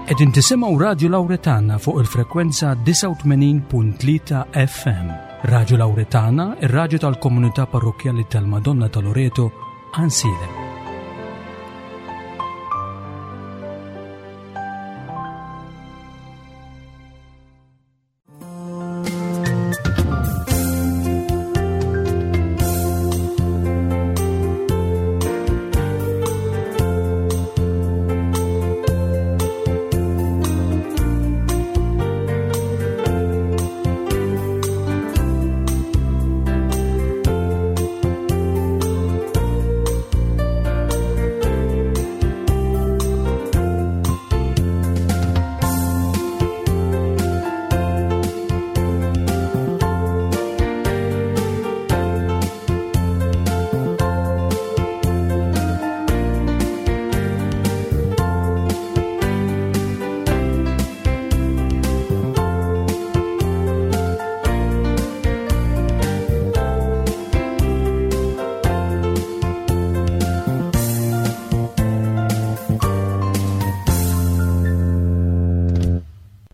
Qegħdin tisimgħu Radju Lawretana fuq il-frekwenza 89.3 FM. Radju Lawretana, ir-radju tal-komunità parrokkjali tal-Madonna ta' Loreto, Ansilem.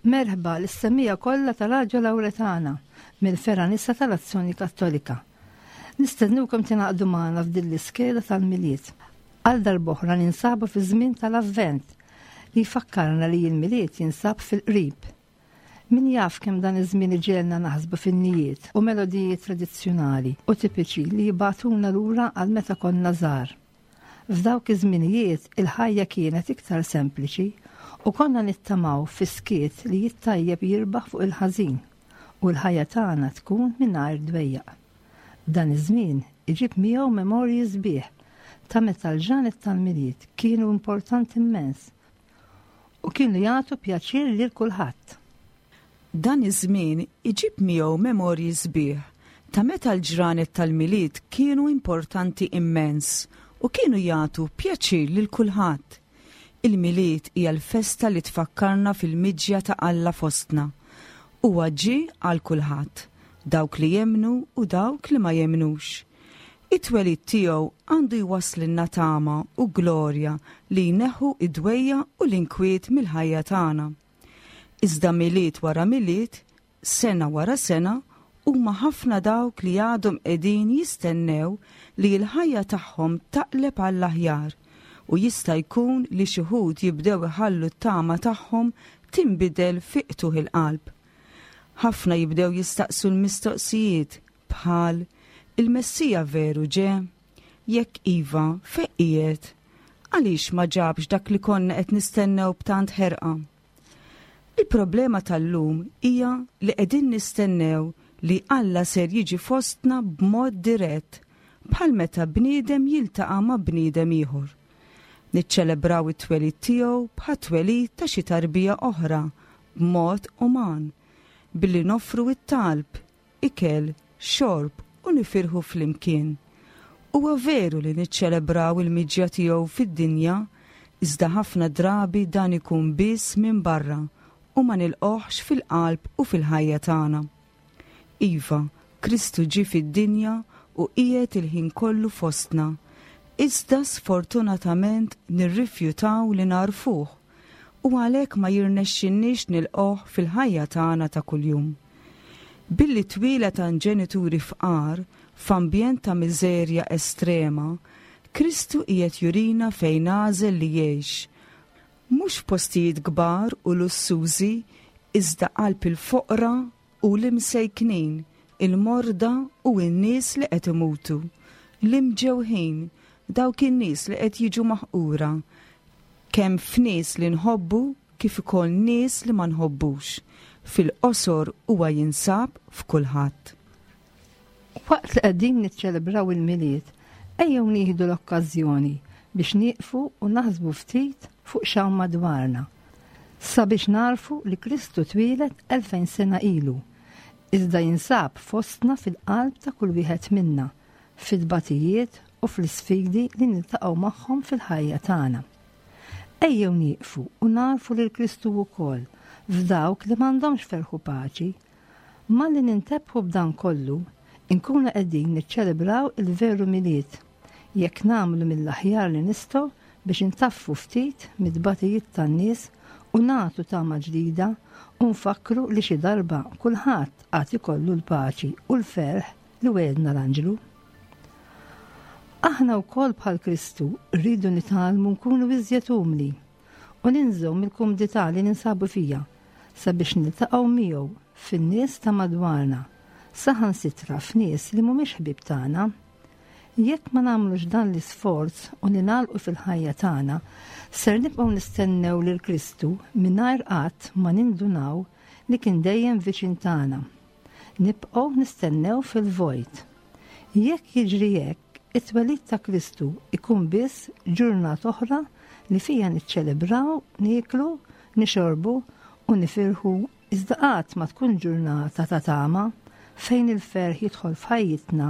Merħba lis-semmiegħa kollha ta' Raġo Lawretana mill-Fergħa Nisa tal-Azzjoni Kattolika. Nistennukom tingħaqdu magħna f'din l-iskeda tal-Milied. Għal darb'oħra ninsabu fi żmien tal-Avvent li jfakkarna li l-Milied jinsab fil-qrib. Min jaf kemm dan iż-żmien iġegħelna naħsbu f'innijiet u melodiji tradizzjonali u tipiċi li jibagħtuna lura għal meta konna żgħar. F'dawk iż-żminijiet il-ħajja kienet iktar sempliċi u konna nittamaw fis-skiet li t-tajjeb jirbaħ fuq il-ħażin u l-ħajja tagħna tkun mingħajr dwejjaq. Dan iż-żmien iġib miegħu memorji sbieħ ta' meta l-ġranet tal-Milied kienu importanti immens u kienu jagħtu pjaċir lil kulħadd. Dan iż-żmien iġib miegħu memorji sbieħ ta' meta l-ġranet tal-Milied kienu importanti immens u kienu jagħtu pjaċir lil kulħadd. Il-Milied hija l-festa li tfakkarna fil-miġja ta' Alla fostna. Huwa ġie għal kulħadd, dawk li jemmnu u dawk li ma jemmnux. It-twelid tiegħu għandu jwasslilna tama u glorja li jneħħu d-dwejjaq u l-inkwiet mill-ħajja tagħna. Iżda Milied wara Milied, sena wara sena, huma ħafna dawk li għadhom qegħdin jistennew li l-ħajja tagħhom taqleb għall-aħjar u jista' jkun li xi wħud jibdew iħallu t-tama tagħhom tinbidel fi qtugħ il-qalb. Ħafna jibdew jistaqsu l-mistoqsijiet bħal, Il-Messija veru ġe? Jekk iva, fejn qiegħed? Għaliex ma ġabx dak li konna qed nistennew b'tant ħerqa? Il-problema tal-lum hija li qegħdin nistennew li Alla ser jiġi fostna b'mod dirett, bħal meta bniedem jiltaqa' ma' bniedem ieħor. Niċċelebraw it-twelid tiegħu bħat-twelid ta' xi tarbija oħra b'mod uman, billi noffru t-talb, ikel, xorb u nifirħu flimkien. Huwa veru li niċċelebraw il-miġja tiegħu fid-dinja, iżda ħafna drabi dan ikun biss minn barra u ma nilqgħuhx fil-qalb u fil-ħajja tagħna. Iva, Kristu ġie fid-dinja u qiegħed il-ħin kollu fostna, iżda sfortunatament nirrifjutaw li nagħrfuh u għalhekk ma jirnexxilniex nilqgħuh fil-ħajja tagħna ta' kuljum. Billi twieled għand ġenituri fqar, f'ambjent ta' miżerja estrema, Kristu qiegħed jurina fejn għażel li jgħix, mhux f'postijiet kbar u lussużi iżda qalb il-foqra u l-imsejknin, il-morda u n-nies li qed imutu, l-imġewħin, dawk in-nies li qed jiġu maħqura, kemm f'nies li nħobbu kif ukoll nies li ma nħobbux. Fil-qosor huwa jinsab f'kulħadd. Waqt li qegħdin niċċelebraw il-Milied, ejjew nieħdu l-okkażjoni biex nieqfu u naħsbu ftit fuq x'hawn madwarna, sabiex nagħrfu li Kristu twieled 2000 sena ilu, iżda jinsab fostna fil-qalb ta' kull wieħed minna, fit-tbatijiet u fl-isfidi li niltaqgħu magħhom fil-ħajja tagħna. Ejjew nieqfu u nagħrfu lil Kristu wkoll f'dawk li m'għandhomx ferħ u paċi. Malli nintebħu b'dan kollu, inkunu qegħdin niċċelebraw il-veru Milied, jekk nagħmlu mill-aħjar li nistgħu biex intaffu ftit mit-tbatijiet tan-nies u. u nagħtu tama ġdida u nfakkru li xi darba kulħadd għad ikollu l-paċi u l-ferħ li wegħedna l-anġlu. Aħna wkoll bħal Kristu rridu nitgħallmu nkunu iżjed umli u ninżgħu mill-kumdità li ninsabu fija sabiex niltaqgħu miegħu fin-nies ta' madwarna, saħansitra f'nies li mhumiex ħbieb tagħna. Jekk ma nagħmlux dan l-isforz u ningħalqu fil-ħajja tagħna, ser nibqgħu nistennew lil Kristu mingħajr qatt ma nindunaw li kien dejjem viċin tagħna. Nibqgħu nistennew fil-vojt. Jekk jiġri hekk, it-twelid ta' Kristu jkun biss ġurnata oħra li fiha niċċelebraw, nieklu, nixorbu u nifirħu Iżda qatt ma tkun ġurnata ta' tama fejn il-ferħ jidħol f'ħajjitna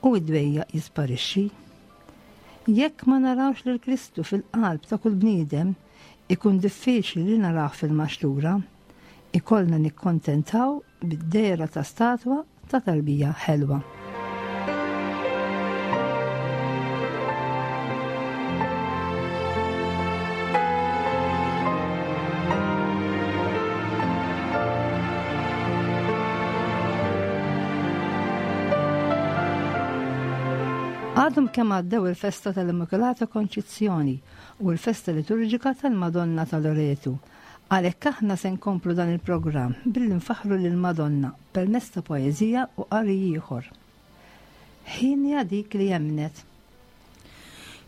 u d-dwejjaq jisparixxi. Jekk ma narawx lil Kristu fil-qalb ta' kull bniedem, ikun diffiċli li narawh fil-maxtura. Ikollna nikkontentaw bid-dehra ta' statwa ta' tarbija ħelwa. Għadhom kemm għaddew il-festa tal-Immakulata Konċizzjoni u l-festa liturġika tal-Madonna ta' Loretu. Għalhekk aħna se nkomplu dan il-programm billi nfaħħru lill-Madonna permezz ta' poeżija u qari ieħor. Ħienja dik li emmnet.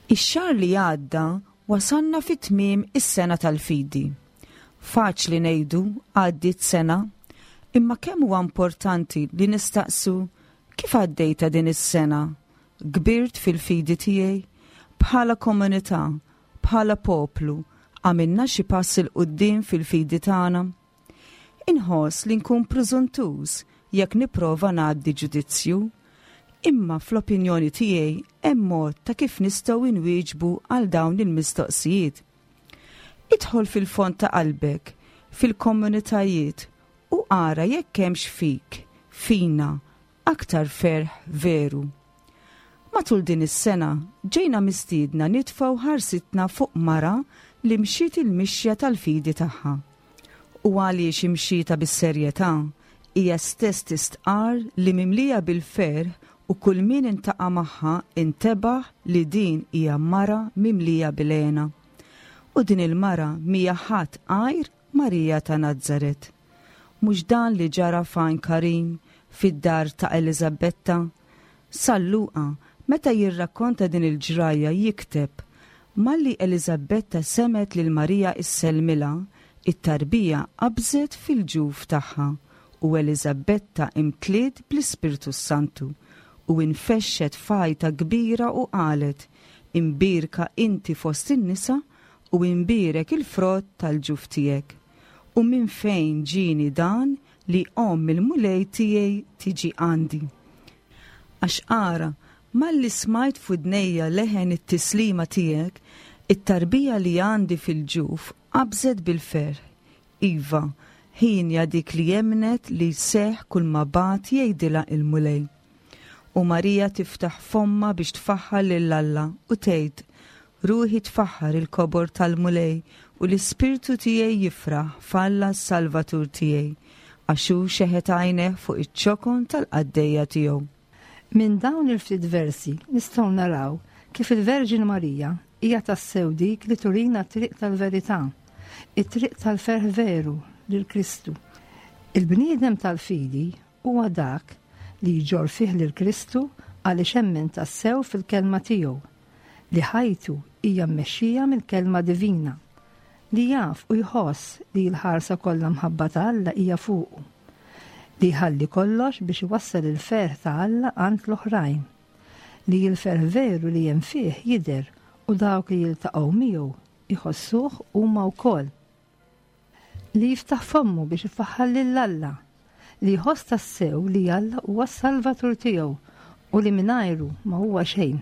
Ix-xahar li għadda wasalna fi tmiem is-sena tal-fidi. Faċli ngħidu għaddiet sena, imma kemm huwa importanti li nistaqsu kif għaddejtha din is-sena? Kbirt fil-fidi tiegħi? Bħala komunità, bħala poplu, għamilna xi pass 'il quddiem fil-fidi tagħna? Inħoss li nkun prużuntuż jekk nipprova ngħaddi ġudizzju, imma fl-opinjoni tiegħi hemm mod ta' kif nistgħu nwieġbu għal dawn il-mistoqsijiet. Idħol fil-fond ta' qalbek, fil-komunitajiet u ara jekk hemmx fik, fina, aktar ferħ veru. Matul din is-sena ġejna mistiedna nitfgħu ħarsitna fuq mara li mxiet il-mixja tal-fidi tagħha. U għaliex imxietha bis-serjetà, hija stess tistqarr li mimlija bil-ferħ u kull min intaqa' magħha intebaħ li din hija mara mimlija bil-hena. U din il-mara m'hija ħadd għajr Marija ta' Nazaret. Mhux dan li ġara f'Għajn Karim, fid-dar ta' Eliżabetta? San Luqa, meta jirrakkonta din il-ġrajja, jikteb, Malli Eliżabetta semgħet lil Marija issellmilha, it-tarbija qabżet fil-ġuf tagħha, u Eliżabetta imtliet bl-Ispirtu s-Santu, u infexxet f'għajta kbira u qalet, Imbierka inti fost in-nisa, u imbierek il-frott tal-ġuf tiegħek. U minn fejn ġieni dan li omm il-Mulej tiegħi tiġi għandi? Għax ara, malli smajt f'widnejja leħen it-tislima tiegħek, it-tarbija li għandi fil-ġuf qabżet bil-ferħ. Iva, hienja dik li emmnet li jseħħ kulma bagħat jgħidilha il-Mulej. U Marija tiftaħ fommha biex tfaħħar lil Alla u tgħid, Ruħi tfaħħar il-kobor tal-Mulej u l-ispirtu tiegħi jifraħ f'Alla s-Salvatur tiegħi, għax hu xeħet għajnejh fuq iċ-ċokon tal-qaddejja tiegħu. Minn dawn il-ftit versi nistgħu naraw kif il-Verġni Marija hija tassew dik li turina t-triq tal-verità, it-triq tal-ferħ veru lil Kristu. Il-bniedem tal-fidi huwa dak li jġorr fih lil Kristu għaliex emmen tassew fil-kelma tiegħu, li ħajtu hija mmexxija mill-Kelma divina, li jaf u jħoss li l-ħarsa kollha mħabba ta' Alla hija fuqu, li jħalli kollox biex iwassal il-ferħ ta' Alla għand l-oħrajn, li l-ferħ veru li hemm fih jidher u dawk li jiltaqgħu miegħu jħossuh huma wkoll. Li jiftaħ fommu biex ifaħħar lil Alla, li jħoss tassew li Alla huwa s-Salvatur tiegħu u li mingħajru ma huwa xejn.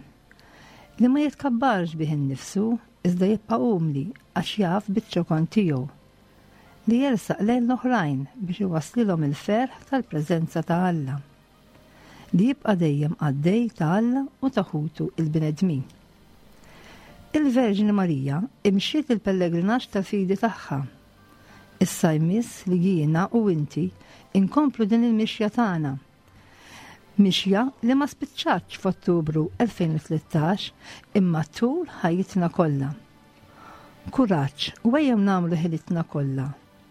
Li ma jitkabbarx bih innifsu, iżda jibqa' umli għax jaf biċ-ċokon tiegħu. Li jersaq lejn l-oħrajn biex iwasslilhom il-ferħ tal-preżenza ta' Alla. Li jibqa' dejjem qaddej ta' Alla u ta' ħutu l-bnedmin. Il-Verġni Marija imxiet il-pellegrinaġġ tal-fidi tagħha. Issa jmiss li jiena u inti inkomplu din il-mixja tagħna. Mixja li ma spiċċatx f'Ottubru 2013 imma tul ħajjitna kollha. Kuraġġ u ejjew nagħmlu ħilitna kollha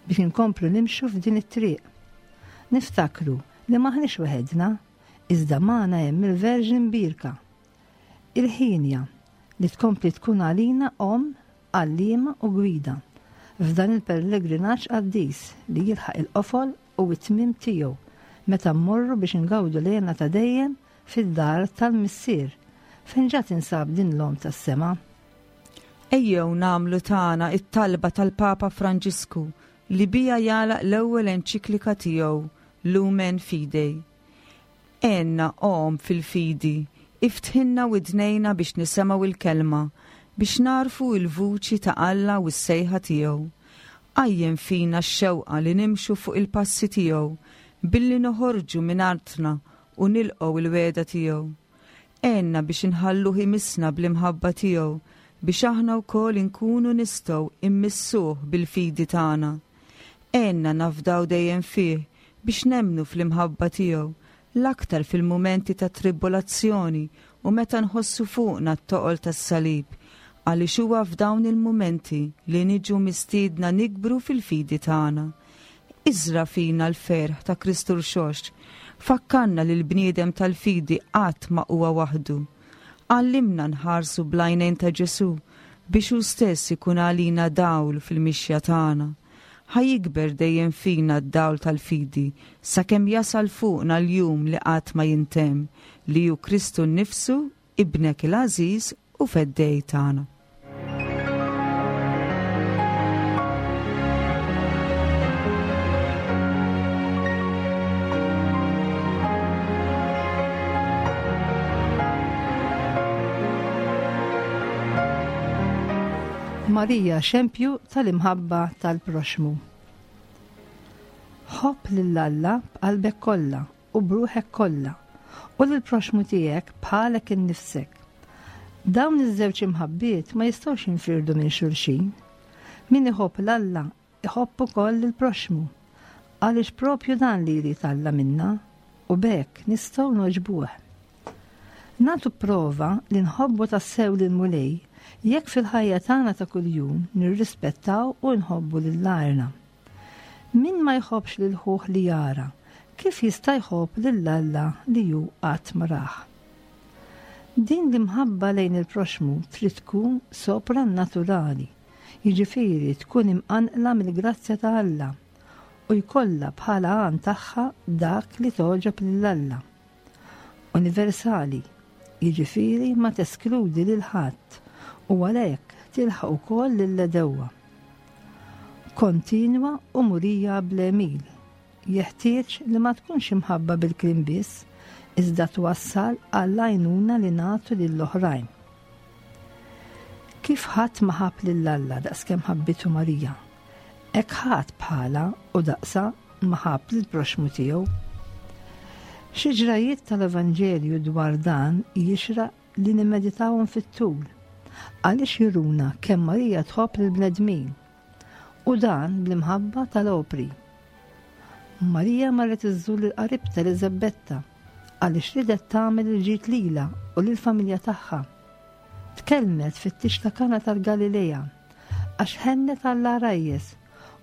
biex inkomplu nimxu f'din it-triq. Niftakru li m'aħniex weħedna, iżda magħna hemm il-Verġni Mbierka. Il-ħienja li tkompli tkun għalina omm, għalliema u gwida f'dan il-pellegrinaġġ qaddis li jilħaq il-qofol u t-tmiem tiegħu meta mmorru biex ingawdu l-hena ta' dejjem fid-dar tal-Missier fejn ġa tinsab din l-Omm tas-Sema. Ejjew nagħmlu tagħna t-talba tal-Papa Franġisku li biha jagħlaq l-ewwel enċiklika tiegħu Lumen Fidei. Għinna, o Omm fil-fidi, iftħilna widnejna biex nisemgħu l-Kelma, biex nagħrfu l-vuċi ta' Alla u s-sejħa tiegħu. Qajjem fina x-xewqa li nimxu fuq il-passi tiegħu billi noħorġu minn artna u nilqgħu l-wegħda tiegħu. Għinna biex inħalluh imissna bl-imħabba tiegħu biex aħna wkoll inkunu nistgħu immissuh bil-fidi tagħna. Għinna nafdaw dejjem fih biex nemmnu fl-imħabba tiegħu, l-aktar fil-mumenti ta' tribulazzjoni u meta nħossu fuqna t-toqol tas-salib, għaliex huwa f'dawn il-mumenti li niġu mistiedna nikbru fil-fidi tagħna. Iżra' fina l-ferħ ta' Kristu Rxoxt. Fakkarna li l-bniedem tal-fidi qatt ma huwa waħdu. Għallimna nħarsu bl-għajnejn ta' Ġesù biex hu stess ikun għalina dawl fil-mixja tagħna. Ħa jikber dejjem fina d-dawl tal-fidi sakemm jasal fuqna l-jum li qatt ma jintemm, li hu Kristu nnifsu, Ibnek il-għażiż u Feddej tagħna. Marija xempju tal-imħabba tal-proxmu. Ħobb lil Alla b'qalbek kollha u b'ruħek kollha, u lill-proxxmu tiegħek bħalek innifsek. Dawn iż-żewġ imħabbiet ma jistgħux jinfirdu minn xulxin. Min iħobb 'l Alla iħobb ukoll lill-proxxmu, għaliex propju dan li jrid Alla minna, u b'hekk nistgħu nogħġbuh. Nagħtu prova li nħobbu tassew lill-Mulej jekk fil-ħajja tagħna ta' kuljum nirrispettaw u nħobbu lil għajrna. Min ma jħobbx lil ħuh li jara, kif jista' jħobb lil Alla li hu qatt ma rah? Din l-imħabba lejn il-proxxmu trid tkun soprannaturali, jiġifieri tkun imqanqla mill-grazzja ta' Alla u jkollha bħala għan tagħha dak li togħġob lil Alla. Universali, jiġifieri ma teskludi lil ħadd u għalhekk tilħaq ukoll lill-għedewwa. Kontinwa u murija bl-għemil. Jeħtieġ li ma tkunx imħabba bil-kliem biss, iżda twassal għall-għajnuna li nagħtu lill-oħrajn. Kif ħadd ma ħabb lil Alla daqskemm ħabbitu Marija, hekk ħadd bħalha u daqsha ma ħabb lill-proxxmu tiegħu. Xi ġrajjiet tal-Evanġelju dwar dan jixraq li nimmeditawhom fit-tul, għaliex juruna kemm Marija tħobb lill-bnedmin, u dan bl-imħabba tal-opri. Marija marret iżżur lil qaribtha Eliżabetta għaliex ridet tagħmel il-ġid lilha u lill-familja tagħha. Tkellmet fit-tieġ ta' Kana tal-Galilea għax ħennet għall-għarajjes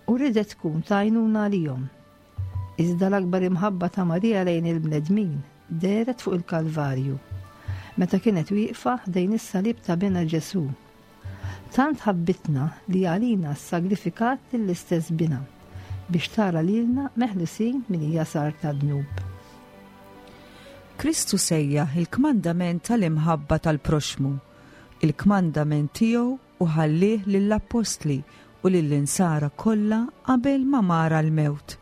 u ridet tkun ta' għajnuna għalihom. Iżda l-akbar imħabba ta' Marija lejn il-bnedmin dehret fuq il-Kalvarju, meta kienet wieqfa ħdejn is-salib ta' Binha Ġesù. Tant ħabbitna li għalina ssagrifikat lill-istess Binha, biex tara lilna meħlusin minn jasar tad-dnub. Kristu sejjaħ il-kmandament tal-imħabba tal-proxxmu, il-kmandament tiegħu u ħallieh lill-appostli u lill-insara kollha qabel ma mar għall-mewt.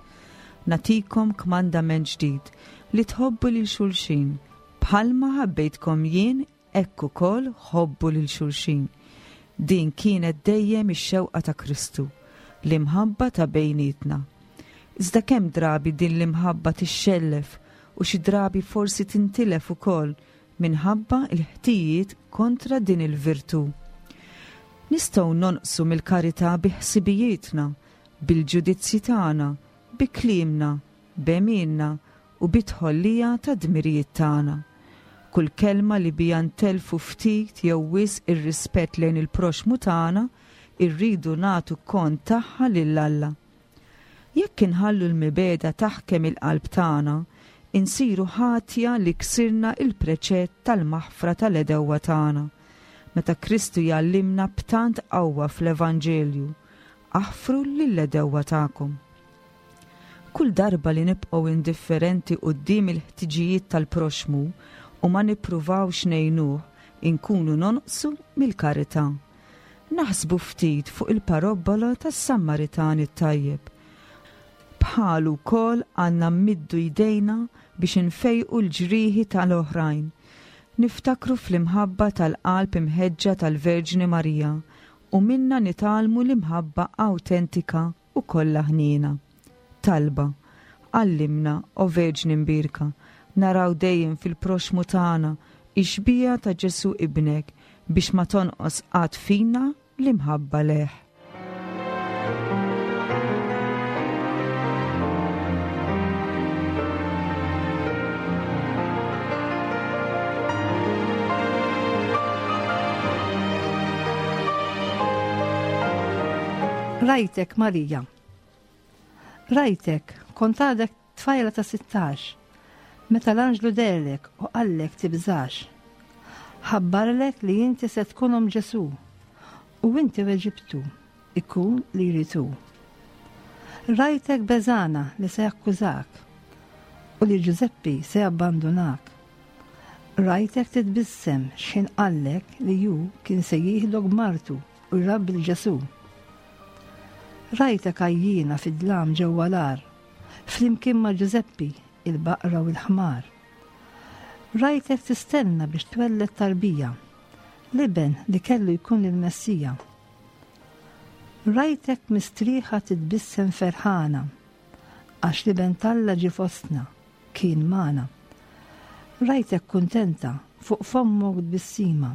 Nagħtikom kmandament ġdid, li tħobbu lil xulxin, bħalma ħabbejtkom jien hekk ukoll ħobbu lil xulxin. Din kienet dejjem ix-xewqa ta' Kristu, l-imħabba ta' bejnietna. Iżda kemm drabi din l-imħabba tixxellef u xi drabi forsi tintilef ukoll minħabba l-ħtijiet kontra din il-virtù. Nistgħu nonqsu mill-karità bi ħsibijietna. bil-ġudizzji tagħna, bi kliemna, b'għemilna u bit-tħollija tad-dmirijiet tagħna. Kull kelma li biha ntellfu ftit jew wisq ir-rispett lejn il-proxxmu tagħna, irridu nagħtu kont tagħha lil Alla. Jekk inħallu l-mibegħda taħkem il-qalb tagħna, insiru ħatja li ksirna l-preċett tal-maħfra tal-għedewwa tagħna, meta Kristu jgħallimna b'tant qawwa fl-Evanġelju, Aħfru lill-għedewwa tagħkom. Kull darba li nibqgħu indifferenti quddiem il-ħtiġijiet tal-proxxmu u ma nippruvawx ngħinuh, inkunu nonqsu mill-karità. Naħsbu ftit fuq il-parobbola tas-Sammaritan it-tajjeb. Bħalu wkoll għandna mmiddu jdejna biex infejqu l-ġrieħi ta' l-oħrajn. Niftakru fl-imħabba tal-qalb imħeġġa tal-Verġni Marija u minnha nitgħallmu l-imħabba awtentika u kollha ħniena. Talba, Għallimna, o Verġni Mbierka, naraw dejjem fil-proxxmu tagħna x-xbieha ta' Ġesù Ibnek biex ma tonqos qatt fina l-imħabba lejh. Rajtek Marija. Rajtek, kont għadek tfajla ta' 16, meta l-anġlu deherlek u qallek tibżax. Ħabbarlek li inti se tkun omm Ġesù, u inti weġibtu, ikun li jrid hu. Rajtek beżgħana li se jakkużak u li Ġużeppi se jabbandunak. Rajtek titbissem x'ħin qallek li hu kien se jieħdok b'martu u jrabbi 'l Ġesù. Rajtek għajjiena fid-dlam ġewwa l-għar, flimkien ma' Ġużeppi, il-baqra u l-ħmar. Rajtek tistenna biex twelled tarbija, l-iben li kellu jkun il-Messija. Rajtek mistrieħa titbissem ferħana, għax l-Iben t'Alla ġie fostna, kien magħna. Rajtek kuntenta, fuq fommok tbissima,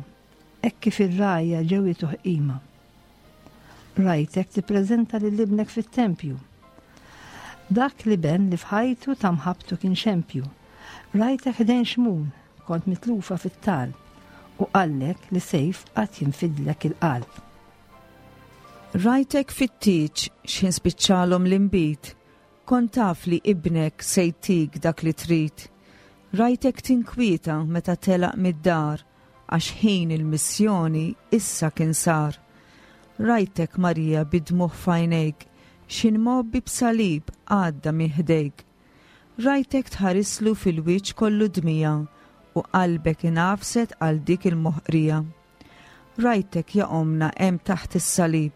hekk kif ir-rgħajja ġew jtuh qima. Rajtek tippreżenta lil ibnek fit-tempju. Dak l-iben li f'ħajtu ta' mħabbtu kien xempju. Rajtek ħdejn Xmun, kont mitlufa fit-talb, u qallek li sejf qatt jinfidlek il-qalb. Rajtek fit-tieġ x'ħin spiċċalhom l-inbid, kont taf li ibnek se jtik dak li trid. Rajtek tinkwieta meta telaq mid-dar għax ħin il-missjoni issa kien sar. Rajtek Marija bid-dmugħ f'għajnejk x'ħin mgħobbi b'salib għadda minn ħdejk. Rajtek tħarislu fil-wiċċ kollu dmija u qalbek ingħafset għal dik il-moħqrija. Rajtek ja ommna hemm taħt is-salib,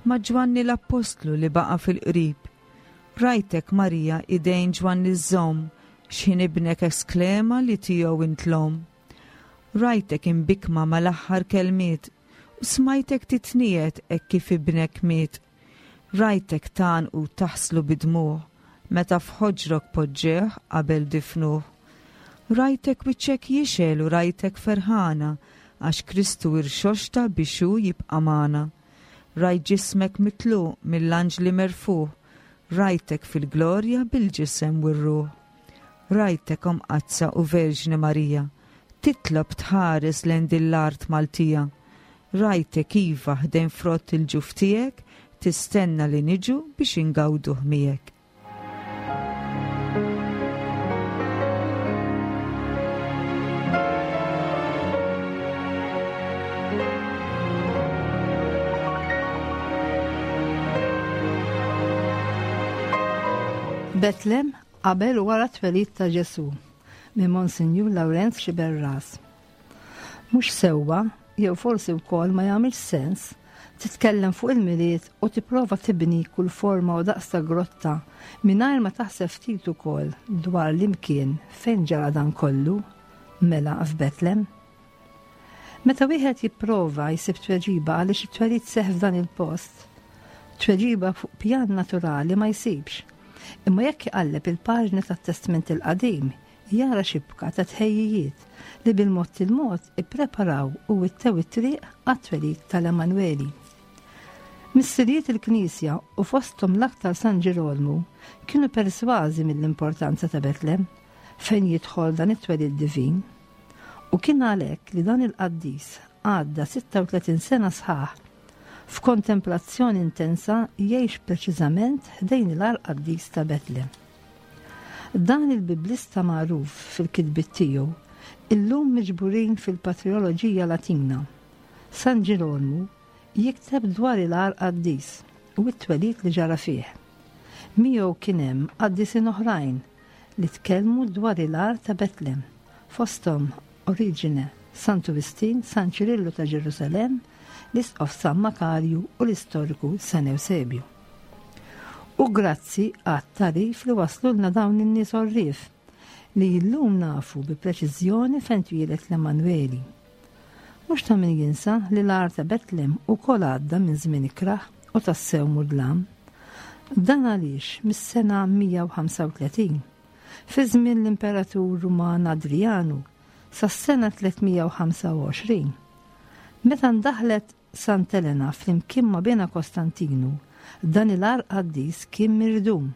ma' Ġwanni l-Appostlu li baqa' fil-qrib. Rajtek Marija idejn Ġwanni żżomm x'ħin ibnek esklema li tiegħu int l-omm. Rajtek imbikkma mal-aħħar kelmiet u smajtek titniegħed hekk kif ibnek miet. Rajtek tgħannqu u taħslu bid-dmugħ meta f'ħoġrok poġġewh qabel difnuh. Rajtek wiċċek jixgħel u rajtek ferħana għax Kristu irxoxta biex hu jibqa' magħna. Rajt ġismek mitluq mill-anġli merfugħ, rajtek fil-glorja bil-ġisem u r-ruħ. Rajtek Omm Qaddsa u Verġni Marija, titlob tħares lejn din l-art Maltija. Rajtek iva ħdejn frott il-ġuf tiegħek tistenna li niġu biex ingawduh miegħek. Betlem qabel u wara t-twelid ta' Ġesù minn Monsinjur Lawrenz Xiberras. Mhux sewwa, jew forsi wkoll ma jagħmilx sens, titkellem fuq il-Milied u tipprova tibni kull forma u daqs ta' grotta mingħajr ma taħseb ftit ukoll dwar l-imkien fejn ġara dan kollu, mela f'Betlem. Meta wieħed jipprova jsib tweġiba għaliex it-twelid seħħ f'dan il-post, tweġiba fuq pjan naturali ma jsibx. Imma jekk iqalleb il-paġni tat-Testment il-Qadim, jara xibka ta' tħejjijiet li bil-mod il-mod ippreparaw u wittew it-triq għat-twelid tal-Emanweli. Missirijiet il-Knisja u fosthom l-aktar San Ġirolmu kienu persważi mill-importanza ta' Betlem fejn jidħol dan it-twelid divin. U kien għalhekk li dan il-qaddis għadda 36 sena sħaħ f'kontemplazzjoni intensa jgħix preċiżament ħdejn il-għar qaddis ta' Betlem. Dan il-biblista magħruf fil-kitbiet tiegħu illum miġburin fil-Patrioloġija Latina, San Ġirolmu jikteb dwar il-għar qaddis u t-twelid li ġara fih. Miegħu kien hemm qaddisin oħrajn li tkellmu dwar il-għar ta' Betlem, fosthom Oriġine, Santu Wistin, San Ċirillu ta' Ġerusalemm, l-Isqof San Makarju u l-istoriku San Ewsebju. U grazzi għat-tagħrif li waslulna dawn in-nies għorrief, li llum nafu bi preċiżjoni fejn twieled l-Emmanweli. Mhux ta' min jinsa li l-għar ta' Betlem ukoll għadda minn żmien ikrah u tassew mudlam. Dan għaliex mis-sena 135, fi żmien l-Imperatur Ruman Adrijanu, sas-sena 325, meta ndaħlet Sant'Elena flimkien ma' binha Kostantinu, dan il-għar qaddis kien mirdum.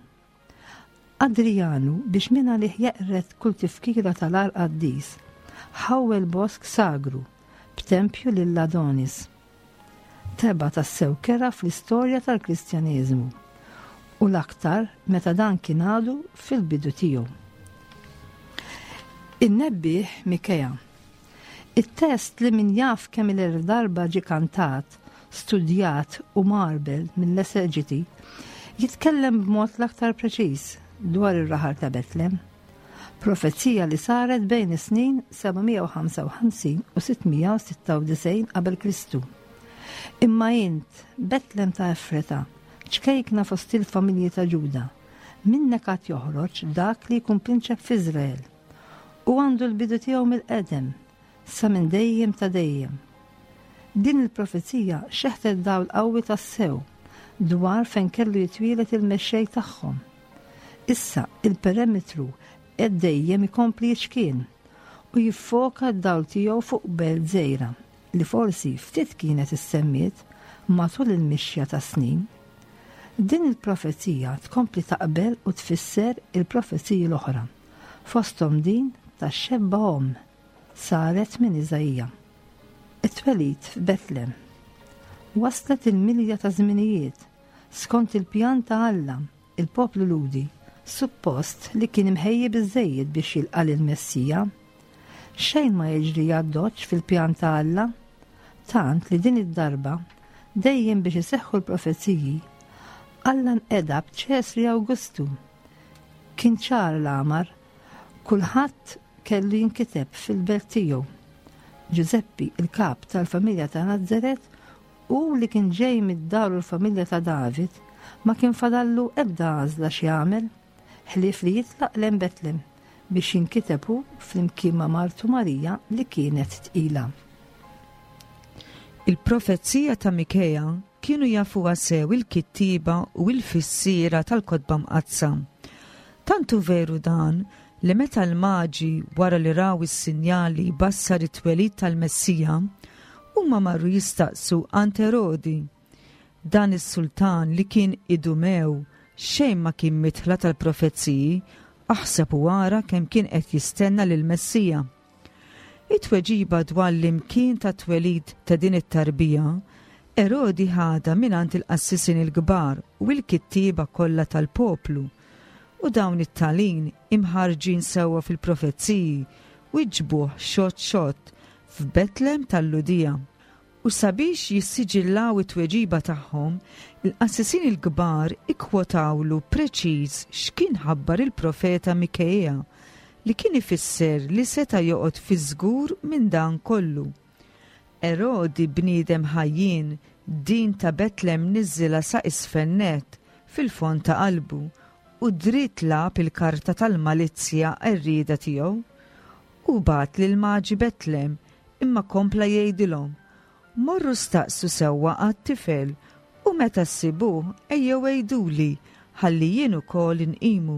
Adrijanu, biex mingħalih jeqred kull tifkira tal-għar qaddis, ħawwel bosk sagru b'tempju lil Adonis. Tebgħa tassew kerha fl-istorja tal-Kristjaneżmu, u l-aktar meta dan kien għadu fil-bidu tiegħu. In-nebbieħ Mikea. It-test li min jaf kemm-il elf darba ġie kantat, studjat u mgħarbel mill-eseġiti, jitkellem b'mod l-aktar preċiż dwar ir-raħal ta' Betlem. Profezija li saret bejn is-snin 755 u 696 qabel Kristu. Imma int, Betlem ta' Efreta, ċkejkna fost il-familji ta' Ġuda, minnek għad joħroġ dak li jkun prinċep f'Iżrael. U għandu l-bidu tiegħu mill-qedem, sa minn dejjem ta' dejjem. Din il-profezija xeħtet dawl qawwi tassew dwar fejn kellu jitwieled il-Mexxej tagħhom. Issa, il-perimetru qed dejjem ikompli jiċkien u jiffoka d-dawl tiegħu fuq belt żgħira li forsi ftit kienet issemmiet matul il-mixja tas-snin. Din il-profezija tkompli taqbel u tfisser il-profeziji l-oħra. Fosthom din tax-xebba omm saret minn Iżaija. It-twelid f'Betlem. Waslet il-milja ta' żminijiet, skont il-pjan ta' Alla, il-poplu Lhudi suppost li kien imħejji biżżejjed biex jilqa' lill-Messija. Xejn ma jiġri għad-doċċ fil-pjan ta' Alla, tant li din id-darba, dejjem biex iseħħu l-profeziji, Alla nqeda b'Ċesri Awgustu Kien ċar l-għamar, kulħadd kellu jinkiteb fil-belt tiegħu. Ġużeppi, il-kap tal-familja ta' Nazaret, u li kien ġej mid-dar u l-familja ta' David, ma kien fadallu ebda għażla x'jagħmel ħlief li jitlaq lejn Betlem biex jinkiteb hu flimkien ma' martu Marija li kienet tqila. Il-profezija ta' Mikea Kienu jafuha sew il-kittieba u l-fissiera tal-Kotba Mqaddsa. Tant hu veru dan li meta l-Maġi wara li raw is-sinjal li jbassar it-twelid tal-Messija, huma marru jistaqsu għand Erodi. Dan is-sultan li kien Idumew xejn ma kien midħla tal-profeziji, aħseb u ara kemm kien qed jistenna lill-Messija. It-tweġiba dwar l-imkien tat-twelid ta' din it-tarbija, Erodi ħadha mingħand il-qassisin il-kbar u l-kittieba kollha tal-poplu. U dawn it-talin, imħarrġin sewwa fil-profeziji, wiġbuh xott xott, F'Betlem tal-Lhudija. U sabiex jissiġillaw it-tweġiba tagħhom, il-qassisin il-kbar ikkwotawlu preċiż x'kien ħabbar il-profeta Mikea, li kien ifisser li seta' joqgħod fiż-żgur minn dan kollu. Erodi bniedem ħajjien, din ta' Betlem niżżilha sa isfel nett, fil-fond ta' qalbu, u dritt lagħab il-karta tal-malizzja qerrieda tiegħu. Hu bagħat lill-Maġi Betlem, imma kompla jgħidilhom, Morru staqsu sewwa għat-tifel, u meta ssibuh ejjew għiduli, ħalli jien ukoll inqimu.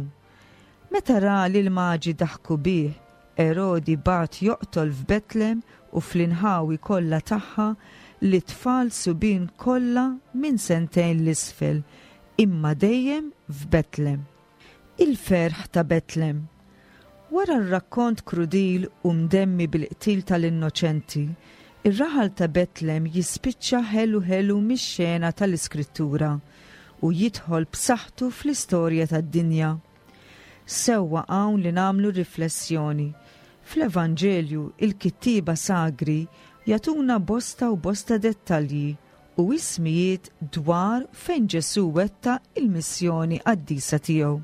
Meta ra li l-Maġi daħku bih, Erodi bagħat joqtol f'Betlem u fl-inħawi kollha tagħha lit-tfal subien kollha minn sentejn 'l isfel, imma dejjem f'Betlem. Il-ferħ ta' Betlem. Wara r-rakkont krudil u mdemmi bil-qtil tal-innoċenti, ir-raħal ta' Betlem jispiċċa ħelu ħelu mix-xena tal-Iskrittura u jidħol b'saħħtu fl-istorja tad-dinja. Sewwa hawn li nagħmlu riflessjoni. Fl-Evanġelju, il-kittieba sagri jagħtuna bosta u bosta dettalji u ismijiet dwar fejn Ġesù wettaq il-missjoni qaddisa tiegħu.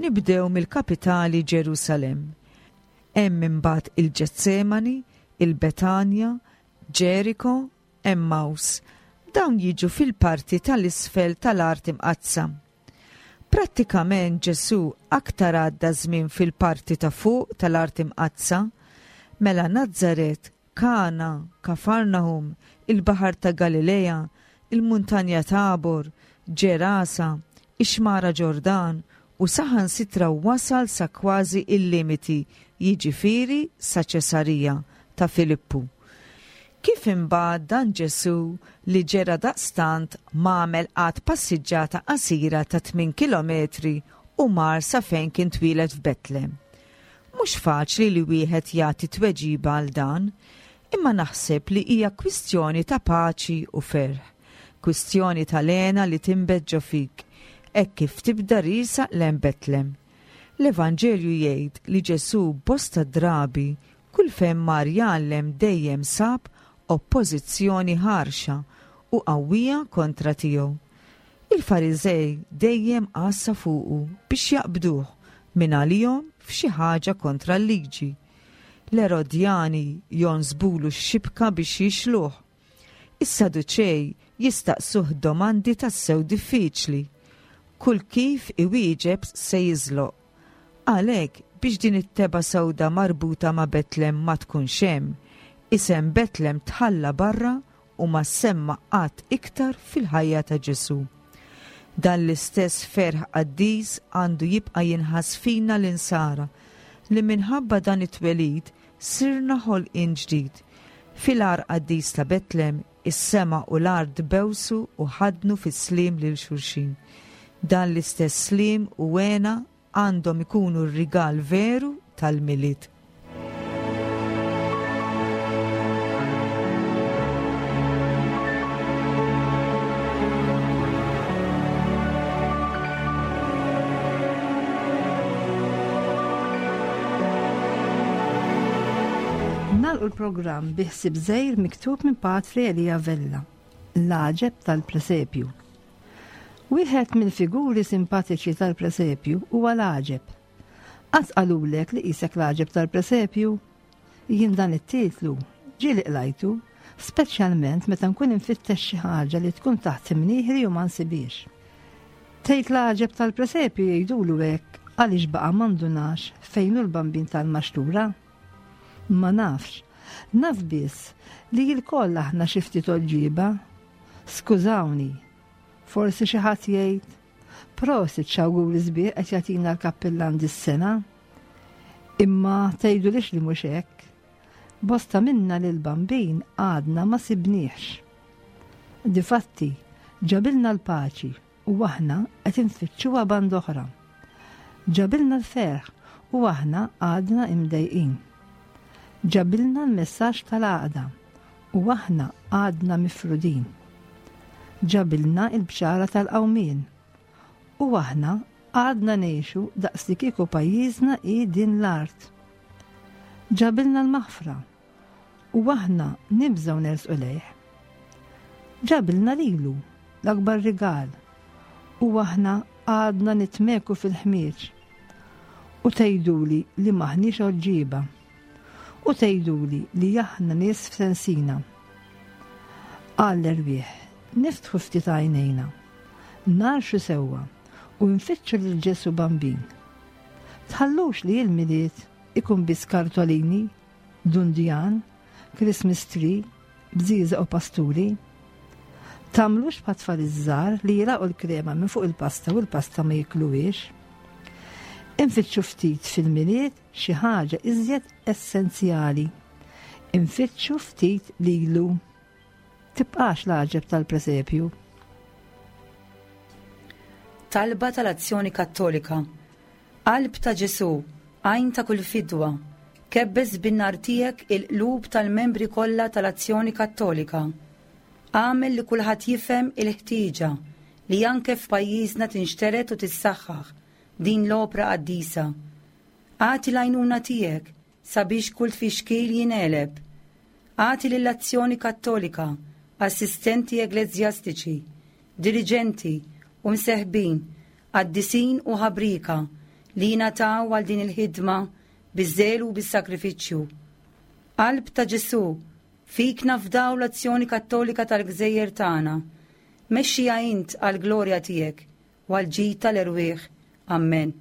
Nibdew mill-kapitali Ġerusalemm. Hemm imbagħad il-Ġetsemani, il-Betanja, Ġeriko, Emmaws. Dawn jiġu fil-parti tal-isfel tal-Art Imqaddsa. Prattikament Ġesù aktar għadda żmien fil-parti ta' fuq tal-Art Imqaddsa, mela Nazaret, Kana, Kafarnahum, il-Baħar ta' Galilea, il-Muntanja Tabor, Ġerasa, ix-Xmara Ġordan, u saħansitra wasal sa kważi il-limiti, jiġifieri sa Ċesarija ta' Filippu. Kif imbagħad dan Ġesù li ġera daqstant m'għamel qatt passiġġata qasira ta' tminn kilometri u mar sa fejn kien twieled f'Betlem? Mhux faċli li wieħed jagħti tweġiba għal dan, imma naħseb li hija kwistjoni ta' paċi u ferħ, kwistjoni tal-hena li tinbet ġo fik hekk kif tibda riesaq lejn Betlem. L-Evanġelju jgħid li Ġesù bosta drabi Kull fejn mar jgħallem dejjem sab oppożizzjoni ħarxa u qawwija kontra tiegħu. Il-Fariżej dejjem għassa fuqu biex jaqbduh mingħalihom f'xi ħaġa kontra l-liġi. L-Erodjani jonsbulu x-xibka biex jixluh. Is-Saduċej jistaqsuh domandi tassew diffiċli. Kull kif iwieġeb se jiżloq. Għalhekk, biex din it-tebgħa sewda marbuta ma' Betlem ma tkunx hemm, isem Betlem tħalla barra u ma ssemma qatt iktar fil-ħajja ta' Ġesù. Dan l-istess ferħ qaddis għandu jibqa' jinħass fina l-Insara, li minħabba dan it-twelid sirna ħolqien ġdid. Fil-għar qaddis ta' Betlem, is-sema u l-art bewsu u ħaddnu fis-sliem lil xulxin. Dan l-istess sliem u hena għandhom ikunu r-rigal veru tal-Milied. Nagħlqu l-programm bi ħsieb żgħir miktub minn Patri Elia Vella, L-għaġeb tal-presepju. Wieħed mill-figuri simpatiċi tal-presepju huwa l-għaġeb. Qatt qalulek li qisek l-għaġeb tal-presepju? Jien dan it-titlu ġieli qlajtu, speċjalment meta nkun infittex xi ħaġa li tkun taħt imnieħri u ma nsibhiex. Tgħid l-għaġeb tal-presepju jgħidulu hekk għaliex baqa' ma ndunax fejn hu l-bambin tal-maxtura? Ma nafx. Naf biss li lkoll aħna xi ftit għoġġieba. Skużawni. Forsi xi ħadd jgħid, Prosit x'awguri sbieħ qed jagħtina l-kappillan dis-sena. Imma tgħidulix li mhux hekk. Bosta minna lil bambin għadna ma sibniex. Difatti, ġabilna l-paċi u aħna qed infittxuha band'oħra. Ġabilna l-ferħ u aħna għadna imdejqin. Ġabilna l-messaġġ tal-għaqda u aħna għadna mifrudin. Ġabilna l-bxara tal-qawmien u aħna għadna ngħixu daqslikieku pajjiżna hi din l-art. Ġabilna l-maħfra u aħna nibżgħu nersqu lejh. Ġabilna lilu, l-akbar rigal, u aħna għadna nitmeku fil-ħmieġ. U tgħiduli li m'aħniex għoġġieba. U tgħiduli li aħna nies f'sensina. Għall-erwieħ, niftħu ftit għajnejna, narxu sewwa u nfittxu lil Ġesù Bambin. Tħallux li l-Milied ikun biss kartolini, dundjan, Christmas tree, bżieżaq u pasturi. Tagħmlux bħat-tfal iż-żgħar li jilgħaqu l-krema minn fuq il-pasta u l-pasta ma jikluhiex. Infittxu ftit fil-Milied xi ħaġa iżjed essenzjali. Infittxu ftit lilu. Tibqax l-għaġeb tal-presepju. Talba tal-Azzjoni Kattolika. Qalb ta' Ġesù, għajn ta' kull fidwa, kebbes bin-nar tiegħek il-qlub tal-membri kollha tal-Azzjoni Kattolika. Agħmel li kulħadd jifhem il-ħtieġa li anke f'pajjiżna tinxtered u tissaħħaħ din l-opra qaddisa. Agħti l-għajnuna tiegħek sabiex kull tfixkil jingħeleb. Agħti lill-Azzjoni Kattolika assistenti eglezjastiċi, diriġenti u mseħbin, qaddisin u ħabrieka li jingħataw għal din il-ħidma biż-żelu u bis-sagrifiċċju. Qalb ta' Ġesù, fik nafdaw l-Azzjoni Kattolika tal-gżejjer tagħna. Mexxiha int għall-glorja tiegħek u għall-ġid tal-erwieħ. Ammen.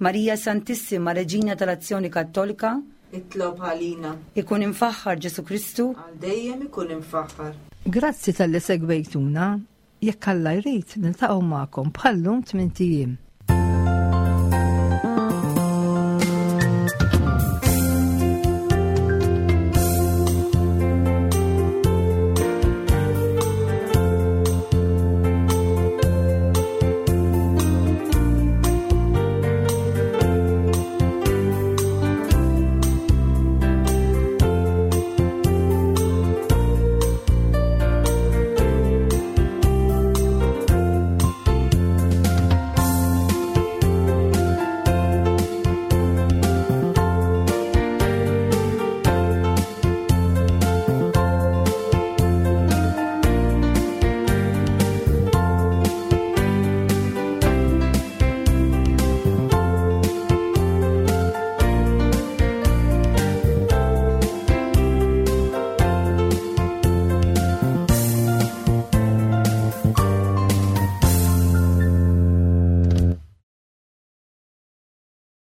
Marija Santissima, Reġina tal-Azzjoni Kattolika, Itlob għalina. Ikun imfaħħar Ġesù Kristu. Għal dejjem ikun imfaħħar. Grazzi talli segwejtuna. Jekk Alla jrid, niltaqgħu magħkom bħal-lum tmint ijiem.